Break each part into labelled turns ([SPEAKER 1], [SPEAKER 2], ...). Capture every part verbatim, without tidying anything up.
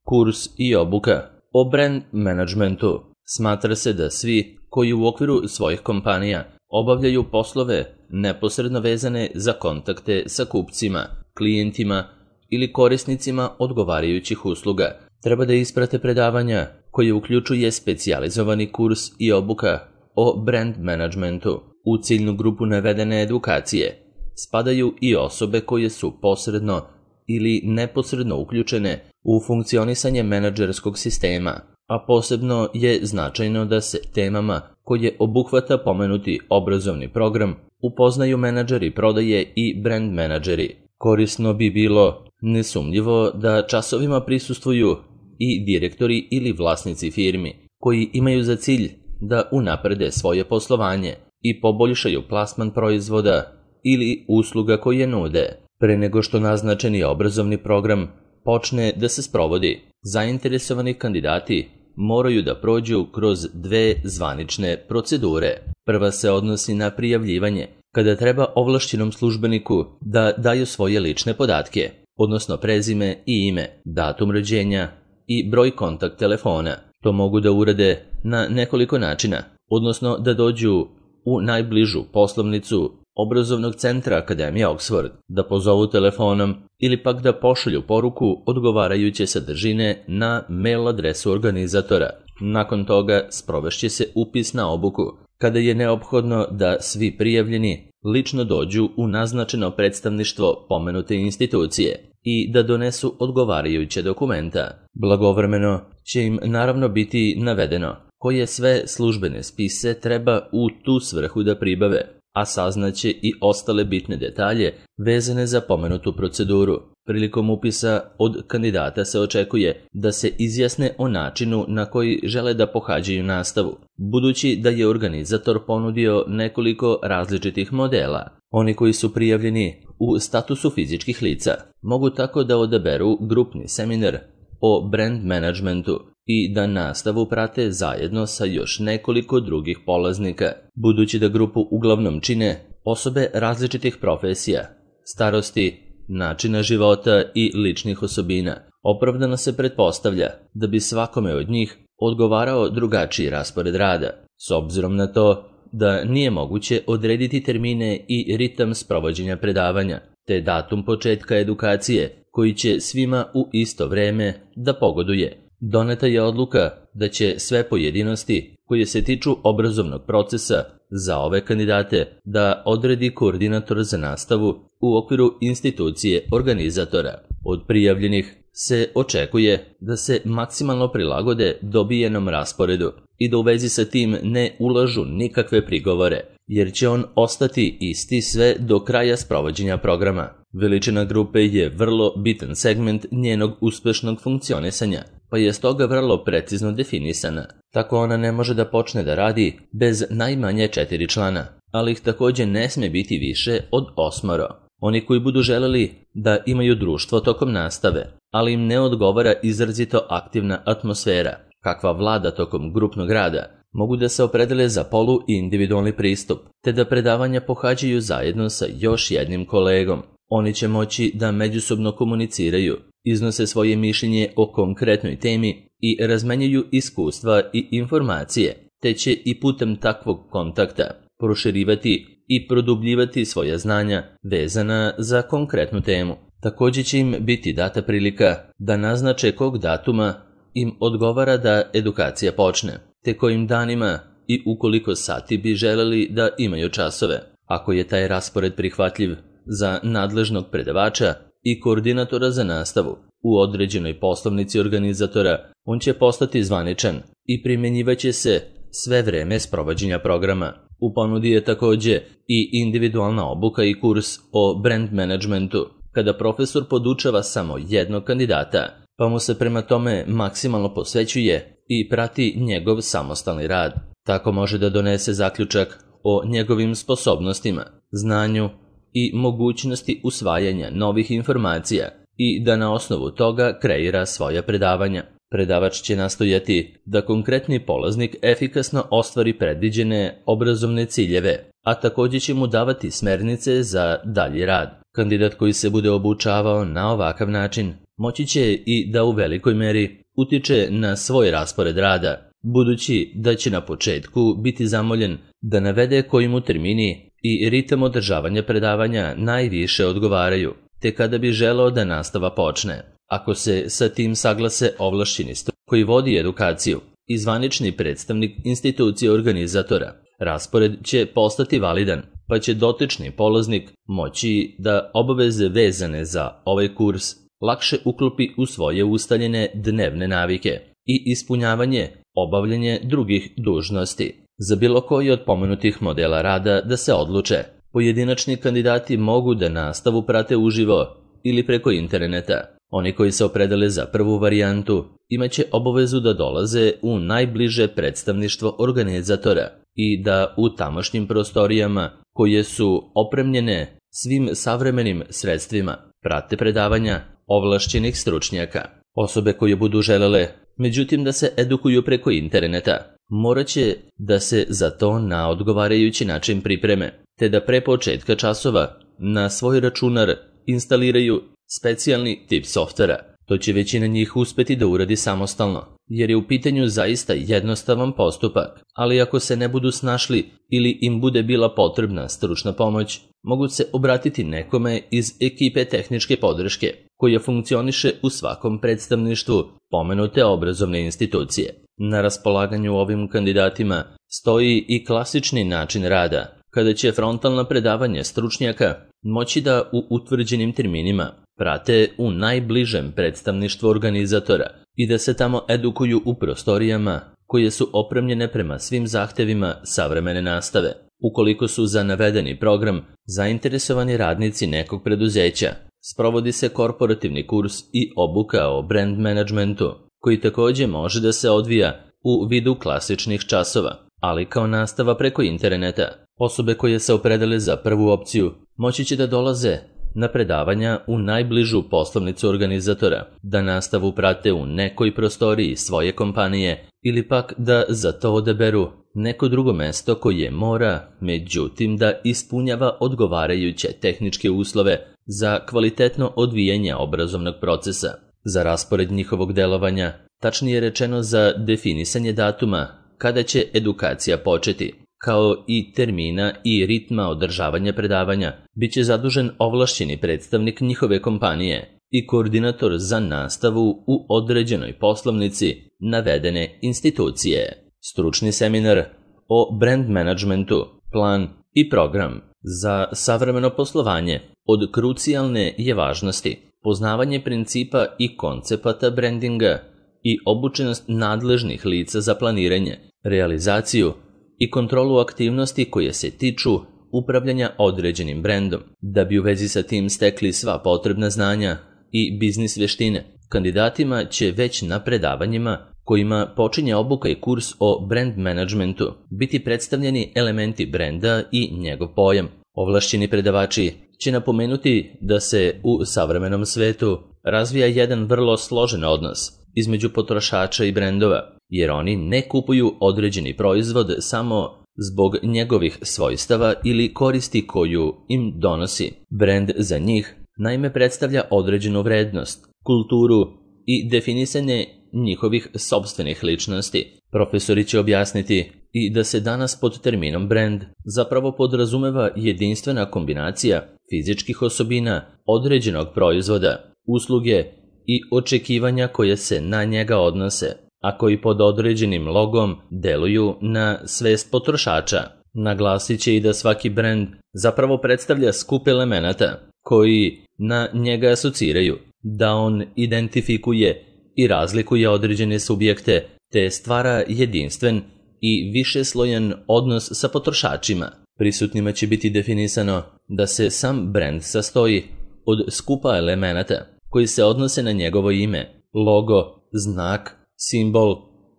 [SPEAKER 1] Kurs i obuka o brand managementu. Smatra se da svi koji u okviru svojih kompanija obavljaju poslove neposredno vezane za kontakte sa kupcima, klijentima ili korisnicima odgovarajućih usluga, treba da isprate predavanja koje uključuje specijalizovani kurs i obuka o brand managementu. U ciljnu grupu navedene edukacije spadaju i osobe koje su posredno ili neposredno uključene u funkcionisanje menadžerskog sistema, a posebno je značajno da se temama koje obuhvata pomenuti obrazovni program upoznaju menadžeri prodaje i brand menadžeri. Korisno bi bilo nesumnjivo da časovima prisustvuju i direktori ili vlasnici firmi koji imaju za cilj da unaprede svoje poslovanje i poboljšaju plasman proizvoda ili usluga koje nude. Pre nego što naznačeni obrazovni program počne da se sprovodi, zainteresovani kandidati moraju da prođu kroz dve zvanične procedure. Prva se odnosi na prijavljivanje, kada treba ovlašćenom službeniku da daju svoje lične podatke, odnosno prezime i ime, datum rođenja i broj kontakt telefona. To mogu da urade na nekoliko načina, odnosno da dođu u najbližu poslovnicu obrazovnog centra Akademije Oxford, da pozovu telefonom ili pak da pošalju poruku odgovarajuće sadržine na mail adresu organizatora. Nakon toga sprovešće se upis na obuku, kada je neophodno da svi prijavljeni lično dođu u naznačeno predstavništvo pomenute institucije i da donesu odgovarajuće dokumenta. Blagovremeno će im naravno biti navedeno koje sve službene spise treba u tu svrhu da pribave, a saznaće i ostale bitne detalje vezane za pomenutu proceduru. Prilikom upisa od kandidata se očekuje da se izjasne o načinu na koji žele da pohađaju nastavu, budući da je organizator ponudio nekoliko različitih modela. Oni koji su prijavljeni u statusu fizičkih lica mogu tako da odaberu grupni seminar o brand managementu i da nastavu prate zajedno sa još nekoliko drugih polaznika. Budući da grupu uglavnom čine osobe različitih profesija, starosti, načina života i ličnih osobina, opravdano se pretpostavlja da bi svakome od njih odgovarao drugačiji raspored rada, s obzirom na to da nije moguće odrediti termine i ritam sprovođenja predavanja, te datum početka edukacije koji će svima u isto vreme da pogoduje. Doneta je odluka da će sve pojedinosti koje se tiču obrazovnog procesa za ove kandidate da odredi koordinator za nastavu u okviru institucije organizatora. Od prijavljenih se očekuje da se maksimalno prilagode dobijenom rasporedu i da u vezi sa tim ne ulažu nikakve prigovore, jer će on ostati isti sve do kraja sprovođenja programa. Veličina grupe je vrlo bitan segment njenog uspešnog funkcionisanja, pa je stoga vrlo precizno definisana. Tako ona ne može da počne da radi bez najmanje četiri člana, ali ih takođe ne sme biti više od osmoro. Oni koji budu želeli da imaju društvo tokom nastave, ali im ne odgovara izrazito aktivna atmosfera, kakva vlada tokom grupnog rada, mogu da se opredele za polu i individualni pristup, te da predavanja pohađaju zajedno sa još jednim kolegom. Oni će moći da međusobno komuniciraju, iznose svoje mišljenje o konkretnoj temi i razmenjuju iskustva i informacije, te će i putem takvog kontakta proširivati i produbljivati svoja znanja vezana za konkretnu temu. Takođe će im biti data prilika da naznače kog datuma im odgovara da edukacija počne, te kojim danima i ukoliko sati bi želeli da imaju časove. Ako je taj raspored prihvatljiv za nadležnog predavača i koordinatora za nastavu u određenoj poslovnici organizatora, on će postati zvaničan i primjenjivaće se sve vreme sprovođenja programa. U ponudi je takođe i individualna obuka i kurs o brand managementu, kada profesor podučava samo jednog kandidata, pa mu se prema tome maksimalno posvećuje i prati njegov samostalni rad. Tako može da donese zaključak o njegovim sposobnostima, znanju i mogućnosti usvajanja novih informacija i da na osnovu toga kreira svoja predavanja. Predavač će nastojati da konkretni polaznik efikasno ostvari predviđene obrazovne ciljeve, a takođe će mu davati smernice za dalji rad. Kandidat koji se bude obučavao na ovakav način moći će i da u velikoj meri utiče na svoj raspored rada, budući da će na početku biti zamoljen da navede koji mu termini i ritam održavanja predavanja najviše odgovaraju, te kada bi želeo da nastava počne. Ako se sa tim saglase ovlašćeni stručnjak koji vodi edukaciju i zvanični predstavnik institucije organizatora, raspored će postati validan, pa će dotični polaznik moći da obaveze vezane za ovaj kurs lakše uklopi u svoje ustaljene dnevne navike i ispunjavanje, obavljanje drugih dužnosti. Za bilo koji od pomenutih modela rada da se odluče, pojedinačni kandidati mogu da nastavu prate uživo ili preko interneta. Oni koji se opredele za prvu varijantu imaće obavezu da dolaze u najbliže predstavništvo organizatora i da u tamošnjim prostorijama, koje su opremljene svim savremenim sredstvima, prate predavanja ovlašćenih stručnjaka. Osobe koje budu želele, međutim, da se edukuju preko interneta, morat će da se za to na odgovarajući način pripreme, te da pre početka časova na svoj računar instaliraju specijalni tip softvera. To će većina njih uspeti da uradi samostalno, jer je u pitanju zaista jednostavan postupak, ali ako se ne budu snašli ili im bude bila potrebna stručna pomoć, mogu se obratiti nekome iz ekipe tehničke podrške, koja funkcioniše u svakom predstavništvu pomenute obrazovne institucije. Na raspolaganju ovim kandidatima stoji i klasični način rada, kada će frontalna predavanja stručnjaka moći da u utvrđenim terminima prate u najbližem predstavništvu organizatora i da se tamo edukuju u prostorijama koje su opremljene prema svim zahtevima savremene nastave. Ukoliko su za navedeni program zainteresovani radnici nekog preduzeća, sprovodi se korporativni kurs i obuka o brand managementu, koji takođe može da se odvija u vidu klasičnih časova, ali kao nastava preko interneta. Osobe koje se opredele za prvu opciju moći će da dolaze na predavanja u najbližu poslovnicu organizatora, da nastavu prate u nekoj prostoriji svoje kompanije ili pak da za to odaberu neko drugo mesto koje mora, međutim, da ispunjava odgovarajuće tehničke uslove za kvalitetno odvijanje obrazovnog procesa. Za raspored njihovog delovanja, tačnije rečeno za definisanje datuma kada će edukacija početi, kao i termina i ritma održavanja predavanja, bit će zadužen ovlašćeni predstavnik njihove kompanije i koordinator za nastavu u određenoj poslovnici navedene institucije. Stručni seminar o brand managementu, plan i program za savremeno poslovanje od krucijalne je važnosti. Poznavanje principa i koncepata brandinga i obučenost nadležnih lica za planiranje, realizaciju i kontrolu aktivnosti koje se tiču upravljanja određenim brendom, da bi u vezi sa tim stekli sva potrebna znanja i biznis veštine. Kandidatima će već na predavanjima kojima počinje obuka i kurs o brand managementu biti predstavljeni elementi brenda i njegov pojam. Ovlašćeni predavači će napomenuti da se u savremenom svetu razvija jedan vrlo složen odnos između potrošača i brendova, jer oni ne kupuju određeni proizvod samo zbog njegovih svojstava ili koristi koju im donosi. Brend za njih naime predstavlja određenu vrednost, kulturu i definisanje njihovih sopstvenih ličnosti. Profesori će objasniti i da se danas pod terminom brand zapravo podrazumeva jedinstvena kombinacija fizičkih osobina određenog proizvoda, usluge i očekivanja koje se na njega odnose, a koji pod određenim logom deluju na svest potrošača. Naglasit će i da svaki brend zapravo predstavlja skup elemenata koji na njega asociraju, da on identifikuje i razlikuje određene subjekte, te stvara jedinstven i višeslojan odnos sa potrošačima. Prisutnima će biti definisano da se sam brend sastoji od skupa elemenata koji se odnose na njegovo ime, logo, znak, simbol,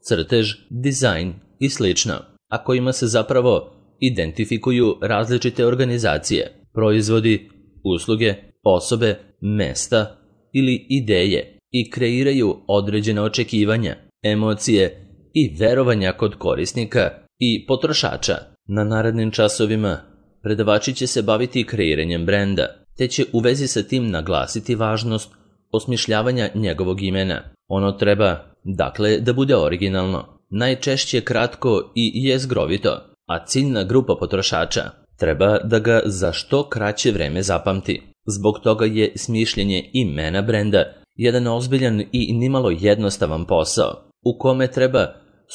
[SPEAKER 1] crtež, dizajn i slično, a kojima se zapravo identifikuju različite organizacije, proizvodi, usluge, osobe, mesta ili ideje i kreiraju određene očekivanja, emocije i verovanja kod korisnika i potrošača. Na narednim časovima predavači će se baviti kreiranjem brenda, te će u vezi sa tim naglasiti važnost osmišljavanja njegovog imena. Ono treba, dakle, da bude originalno, najčešće kratko i jezgrovito, a ciljna grupa potrošača treba da ga za što kraće vreme zapamti. Zbog toga je smišljenje imena brenda jedan ozbiljan i nimalo jednostavan posao, u kome treba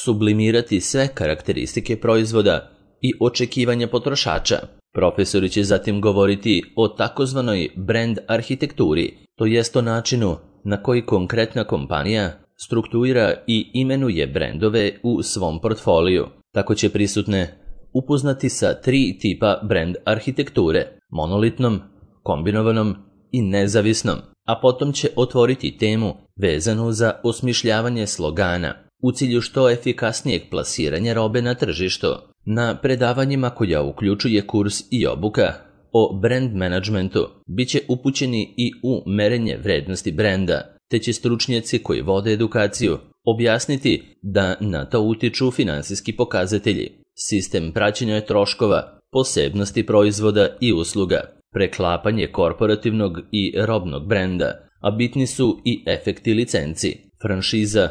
[SPEAKER 1] sublimirati sve karakteristike proizvoda i očekivanja potrošača. Profesori će zatim govoriti o takozvanoj brand arhitekturi, to jest o načinu na koji konkretna kompanija strukturira i imenuje brendove u svom portfoliju. Tako će prisutne upoznati sa tri tipa brand arhitekture: monolitnom, kombinovanom i nezavisnom, a potom će otvoriti temu vezanu za osmišljavanje slogana u cilju što efikasnijeg plasiranja robe na tržištu. Na predavanjima koja uključuje kurs i obuka o brand managementu bit će upućeni i u merenje vrednosti brenda, te će stručnjaci koji vode edukaciju objasniti da na to utiču finansijski pokazatelji, sistem praćenja troškova, posebnosti proizvoda i usluga, preklapanje korporativnog i robnog brenda, a bitni su i efekti licenci, franšiza,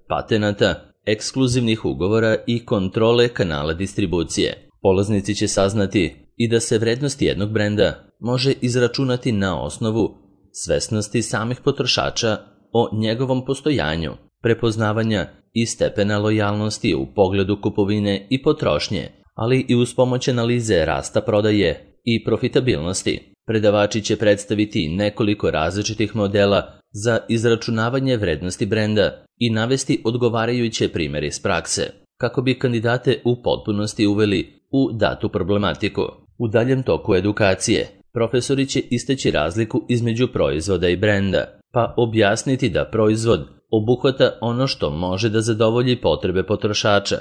[SPEAKER 1] patenata, ekskluzivnih ugovora i kontrole kanala distribucije. Polaznici će saznati i da se vrednost jednog brenda može izračunati na osnovu svesnosti samih potrošača o njegovom postojanju, prepoznavanja i stepena lojalnosti u pogledu kupovine i potrošnje, ali i uz pomoć analize rasta prodaje i profitabilnosti. Predavači će predstaviti nekoliko različitih modela za izračunavanje vrednosti brenda i navesti odgovarajuće primjere iz prakse, kako bi kandidate u potpunosti uveli u datu problematiku. U daljem toku edukacije, profesori će istaći razliku između proizvoda i brenda, pa objasniti da proizvod obuhvata ono što može da zadovolji potrebe potrošača,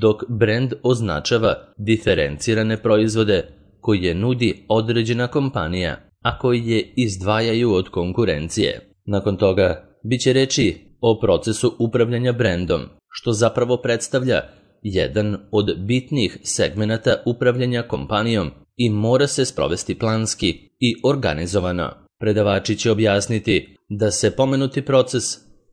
[SPEAKER 1] dok brend označava diferencirane proizvode koje nudi određena kompanija, a koji je izdvajaju od konkurencije. Nakon toga, bit će reči o procesu upravljanja brendom, što zapravo predstavlja jedan od bitnih segmenata upravljanja kompanijom i mora se sprovesti planski i organizovano. Predavači će objasniti da se pomenuti proces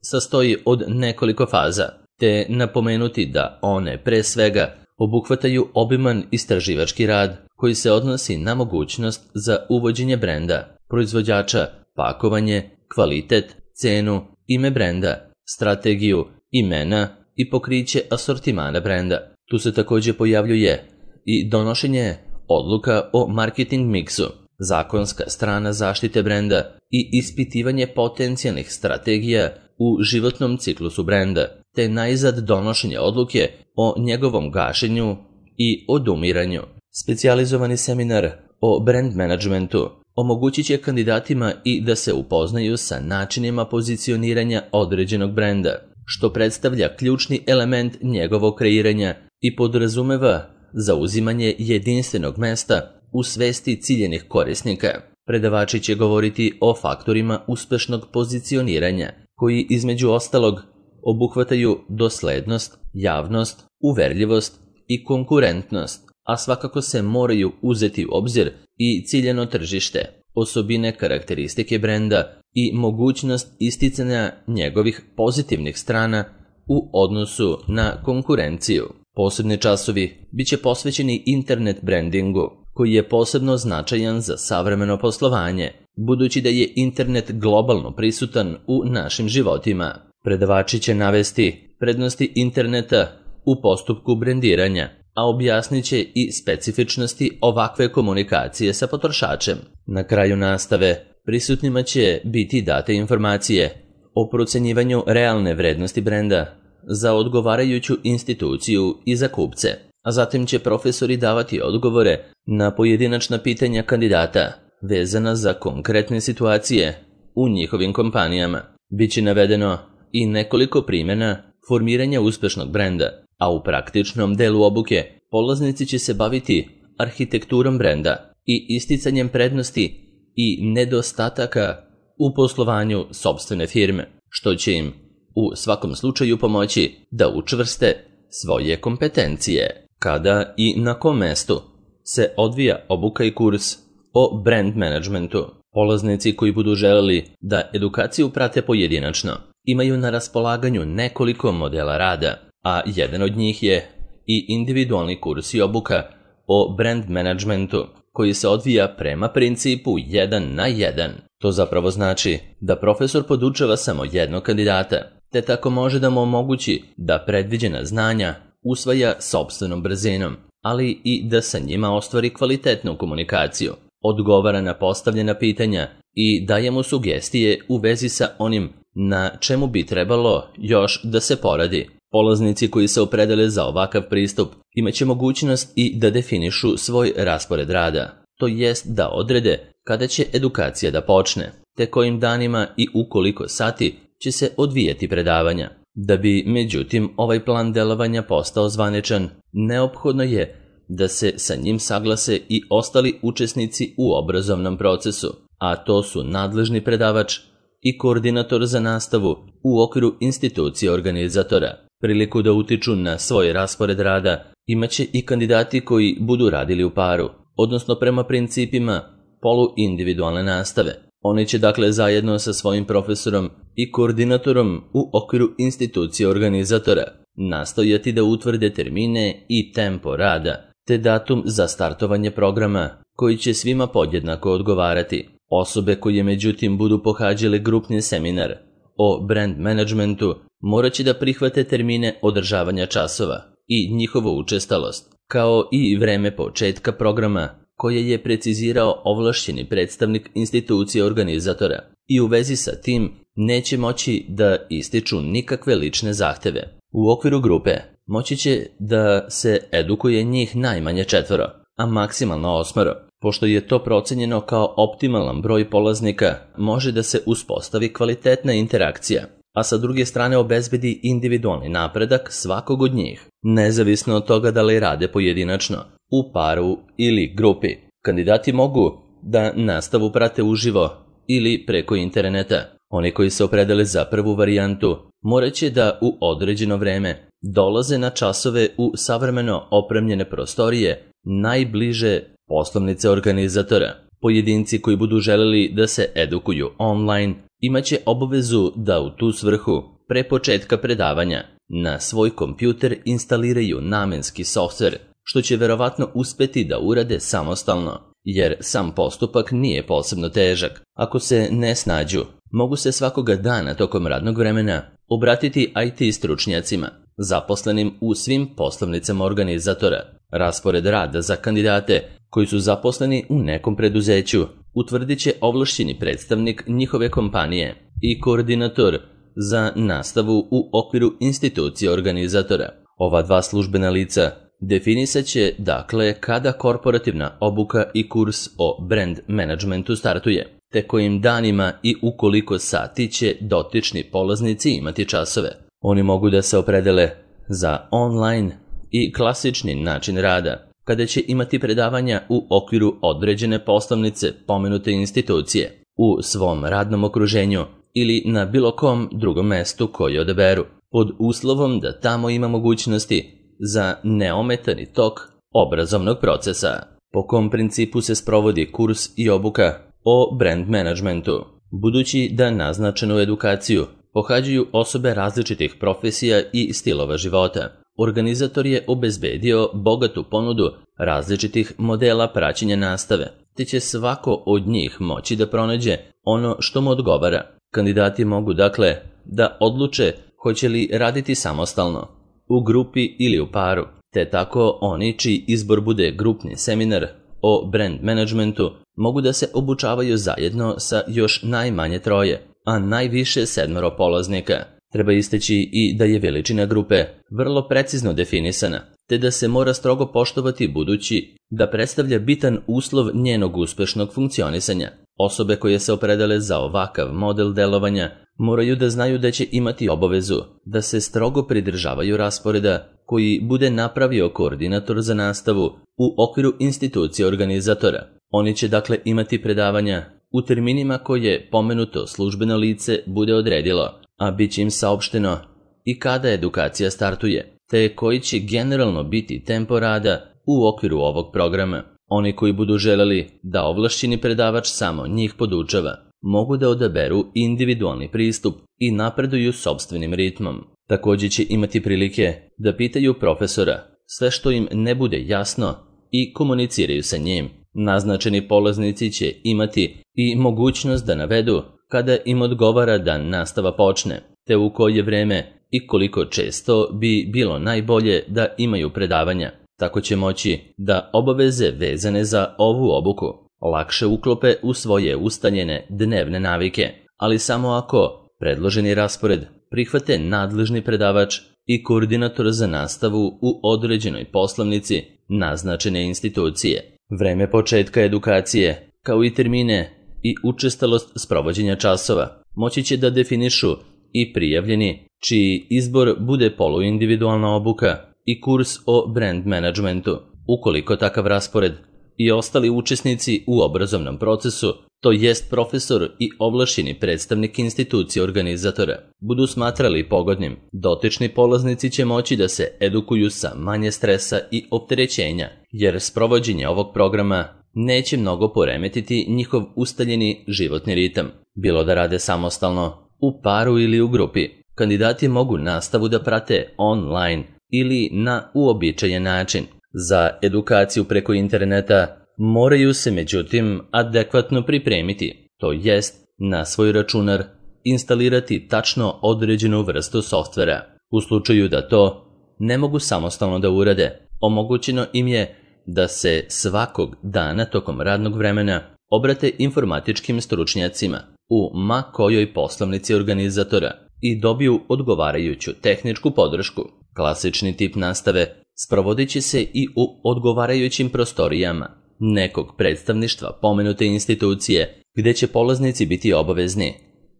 [SPEAKER 1] sastoji od nekoliko faza, te napomenuti da one pre svega obuhvataju obiman istraživački rad koji se odnosi na mogućnost za uvođenje brenda, proizvođača, pakovanje, kvalitet, cenu, ime brenda, strategiju, imena i pokriće asortimana brenda. Tu se također pojavljuje i donošenje odluka o marketing miksu, zakonska strana zaštite brenda i ispitivanje potencijalnih strategija u životnom ciklusu brenda, te najzad donošenje odluke o njegovom gašenju i odumiranju. Specijalizovani seminar o brand managementu omogućit će kandidatima i da se upoznaju sa načinima pozicioniranja određenog brenda, što predstavlja ključni element njegovog kreiranja i podrazumeva zauzimanje jedinstvenog mesta u svesti ciljenih korisnika. Predavači će govoriti o faktorima uspešnog pozicioniranja, koji između ostalog obuhvataju doslednost, javnost, uverljivost i konkurentnost, a svakako se moraju uzeti u obzir i ciljano tržište, osobine karakteristike brenda i mogućnost isticanja njegovih pozitivnih strana u odnosu na konkurenciju. Posebni časovi bit će posvećeni internet brandingu, koji je posebno značajan za savremeno poslovanje, budući da je internet globalno prisutan u našim životima. Predavači će navesti prednosti interneta u postupku brendiranja, a objasnit će i specifičnosti ovakve komunikacije sa potrošačem. Na kraju nastave prisutnima će biti date informacije o procenjivanju realne vrednosti brenda za odgovarajuću instituciju i za kupce, a zatim će profesori davati odgovore na pojedinačna pitanja kandidata vezana za konkretne situacije u njihovim kompanijama. Biće navedeno i nekoliko primjera formiranja uspešnog brenda, a u praktičnom delu obuke polaznici će se baviti arhitekturom brenda i isticanjem prednosti i nedostataka u poslovanju sopstvene firme, što će im u svakom slučaju pomoći da učvrste svoje kompetencije. Kada i na kom mestu se odvija obuka i kurs o brand managementu? Polaznici koji budu želeli da edukaciju prate pojedinačno imaju na raspolaganju nekoliko modela rada, a jedan od njih je i individualni kurs i obuka o brand managementu koji se odvija prema principu jedan na jedan. To zapravo znači da profesor podučava samo jednog kandidata, te tako može da mu omogući da predviđena znanja usvaja sopstvenom brzinom, ali i da sa njima ostvari kvalitetnu komunikaciju, odgovara na postavljena pitanja i daje mu sugestije u vezi sa onim na čemu bi trebalo još da se poradi. Polaznici koji se opredele za ovakav pristup imaće mogućnost i da definišu svoj raspored rada, to jest da odrede kada će edukacija da počne, te kojim danima i u koliko sati će se odvijati predavanja. Da bi, međutim, ovaj plan delovanja postao zvaničan, neophodno je da se sa njim saglase i ostali učesnici u obrazovnom procesu, a to su nadležni predavač i koordinator za nastavu u okviru institucije organizatora. Priliku da utiču na svoj raspored rada imaće i kandidati koji budu radili u paru, odnosno prema principima poluindividualne nastave. Oni će dakle zajedno sa svojim profesorom i koordinatorom u okviru institucije organizatora nastojati da utvrde termine i tempo rada, te datum za startovanje programa koji će svima podjednako odgovarati. Osobe koje međutim budu pohađale grupni seminar o brand managementu morat će da prihvate termine održavanja časova i njihovu učestalost, kao i vreme početka programa koje je precizirao ovlašćeni predstavnik institucije organizatora i u vezi sa tim neće moći da ističu nikakve lične zahteve. U okviru grupe moći će da se edukuje njih najmanje četvoro, a maksimalno osmoro. Pošto je to procenjeno kao optimalan broj polaznika, može da se uspostavi kvalitetna interakcija, a sa druge strane obezbedi individualni napredak svakog od njih, nezavisno od toga da li rade pojedinačno, u paru ili grupi. Kandidati mogu da nastavu prate uživo ili preko interneta. Oni koji se opredele za prvu varijantu morat će da u određeno vreme dolaze na časove u savremeno opremljene prostorije najbliže poslovnice organizatora. Pojedinci koji budu želeli da se edukuju online imaće obavezu da u tu svrhu pre početka predavanja na svoj kompjuter instaliraju namenski softver, što će verovatno uspeti da urade samostalno, jer sam postupak nije posebno težak. Ako se ne snađu, mogu se svakoga dana tokom radnog vremena obratiti I T stručnjacima, zaposlenim u svim poslovnicama organizatora. Raspored rada za kandidate koji su zaposleni u nekom preduzeću utvrdit će ovlašćeni predstavnik njihove kompanije i koordinator za nastavu u okviru institucije organizatora. Ova dva službena lica definisat će dakle kada korporativna obuka i kurs o brand managementu startuje, te kojim danima i u koliko sati će dotični polaznici imati časove. Oni mogu da se opredele za online i klasični način rada, kada će imati predavanja u okviru određene poslovnice pomenute institucije, u svom radnom okruženju ili na bilo kom drugom mestu koje odaberu, pod uslovom da tamo ima mogućnosti za neometani tok obrazovnog procesa. Po kom principu se sprovodi kurs i obuka o brand managementu? Budući da naznačenu edukaciju pohađaju osobe različitih profesija i stilova života, organizator je obezbedio bogatu ponudu različitih modela praćenja nastave, te će svako od njih moći da pronađe ono što mu odgovara. Kandidati mogu dakle da odluče hoće li raditi samostalno, u grupi ili u paru, te tako oni čiji izbor bude grupni seminar o brand managementu mogu da se obučavaju zajedno sa još najmanje troje, a najviše sedmoro polaznika. Treba istaći i da je veličina grupe vrlo precizno definisana, te da se mora strogo poštovati budući da predstavlja bitan uslov njenog uspešnog funkcionisanja. Osobe koje se opredele za ovakav model delovanja moraju da znaju da će imati obavezu da se strogo pridržavaju rasporeda koji bude napravio koordinator za nastavu u okviru institucije organizatora. Oni će dakle imati predavanja u terminima koje pomenuto službeno lice bude odredilo, a bit će im saopšteno i kada edukacija startuje, te koji će generalno biti tempo rada u okviru ovog programa. Oni koji budu želeli da ovlašćeni predavač samo njih podučava, mogu da odaberu individualni pristup i napreduju sopstvenim ritmom. Također će imati prilike da pitaju profesora sve što im ne bude jasno i komuniciraju sa njim. Naznačeni polaznici će imati i mogućnost da navedu kada im odgovara da nastava počne, te u koje vreme i koliko često bi bilo najbolje da imaju predavanja. Tako će moći da obaveze vezane za ovu obuku lakše uklope u svoje ustaljene dnevne navike, ali samo ako predloženi raspored prihvate nadležni predavač i koordinator za nastavu u određenoj poslovnici naznačene institucije. Vreme početka edukacije, kao i termine i učestalost sprovođenja časova, moći će da definišu i prijavljeni čiji izbor bude poluindividualna obuka i kurs o brand managementu. Ukoliko takav raspored i ostali učesnici u obrazovnom procesu, to jest profesor i ovlašćeni predstavnik institucije organizatora, budu smatrali pogodnim, dotični polaznici će moći da se edukuju sa manje stresa i opterećenja, jer sprovođenje ovog programa neće mnogo poremetiti njihov ustaljeni životni ritam. Bilo da rade samostalno, u paru ili u grupi, kandidati mogu nastavu da prate online ili na uobičajen način. Za edukaciju preko interneta moraju se međutim adekvatno pripremiti, to jest na svoj računar instalirati tačno određenu vrstu softvera. U slučaju da to ne mogu samostalno da urade, omogućeno im je da se svakog dana tokom radnog vremena obrate informatičkim stručnjacima u ma kojoj poslovnici organizatora i dobiju odgovarajuću tehničku podršku. Klasični tip nastave sprovodit će se i u odgovarajućim prostorijama nekog predstavništva pomenute institucije, gdje će polaznici biti obavezni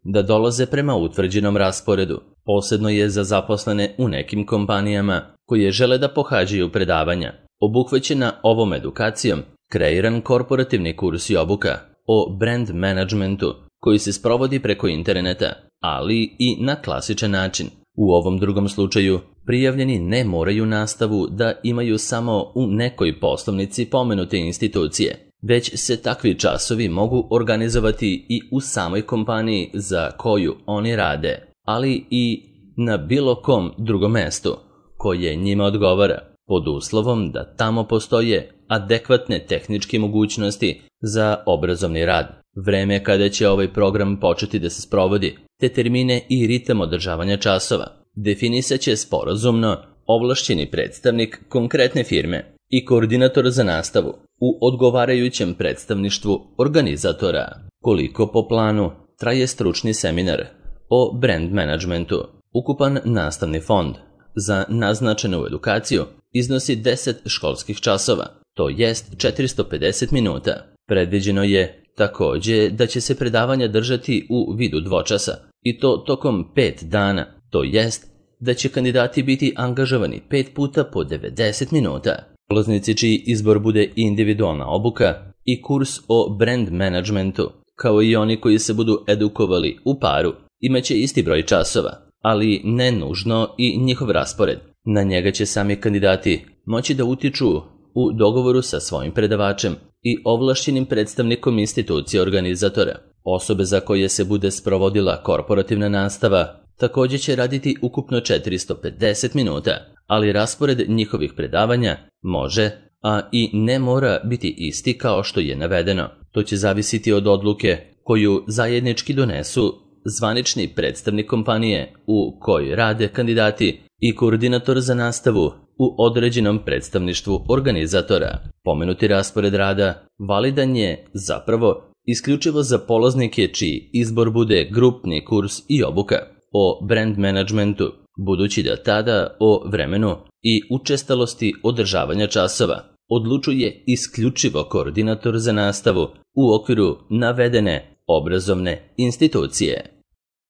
[SPEAKER 1] da dolaze prema utvrđenom rasporedu. Posebno je za zaposlene u nekim kompanijama koje žele da pohađaju predavanja. Obuhvaćena ovom edukacijom kreiran korporativni kurs i obuka o brand managementu koji se sprovodi preko interneta, ali i na klasičan način. U ovom drugom slučaju prijavljeni ne moraju nastavu da imaju samo u nekoj poslovnici pomenute institucije, već se takvi časovi mogu organizovati i u samoj kompaniji za koju oni rade, ali i na bilo kom drugom mestu koje njima odgovara, pod uslovom da tamo postoje adekvatne tehničke mogućnosti za obrazovni rad. Vreme kada će ovaj program početi da se sprovodi, te termine i ritam održavanja časova, definisat će sporazumno ovlašćeni predstavnik konkretne firme i koordinator za nastavu u odgovarajućem predstavništvu organizatora. Koliko po planu traje stručni seminar o brand managementu? Ukupan nastavni fond za naznačenu edukaciju iznosi deset školskih časova, to jest četiristo pedeset minuta. Predviđeno je također da će se predavanja držati u vidu dvočasa i to tokom pet dana, to jest da će kandidati biti angažovani pet puta po devedeset minuta. Polaznici čiji izbor bude individualna obuka i kurs o brand managementu, kao i oni koji se budu edukovali u paru, imaće isti broj časova, ali ne nužno i njihov raspored. Na njega će sami kandidati moći da utiču u dogovoru sa svojim predavačem i ovlašćenim predstavnikom institucije organizatora. Osobe za koje se bude sprovodila korporativna nastava također će raditi ukupno četiristo pedeset minuta, ali raspored njihovih predavanja može, a i ne mora biti isti kao što je navedeno. To će zavisiti od odluke koju zajednički donesu zvanični predstavnik kompanije u kojoj rade kandidati i koordinator za nastavu u određenom predstavništvu organizatora. Pomenuti raspored rada validan je zapravo isključivo za polaznike čiji izbor bude grupni kurs i obuka o brand managementu, budući da tada o vremenu i učestalosti održavanja časova odlučuje isključivo koordinator za nastavu u okviru navedene obrazovne institucije.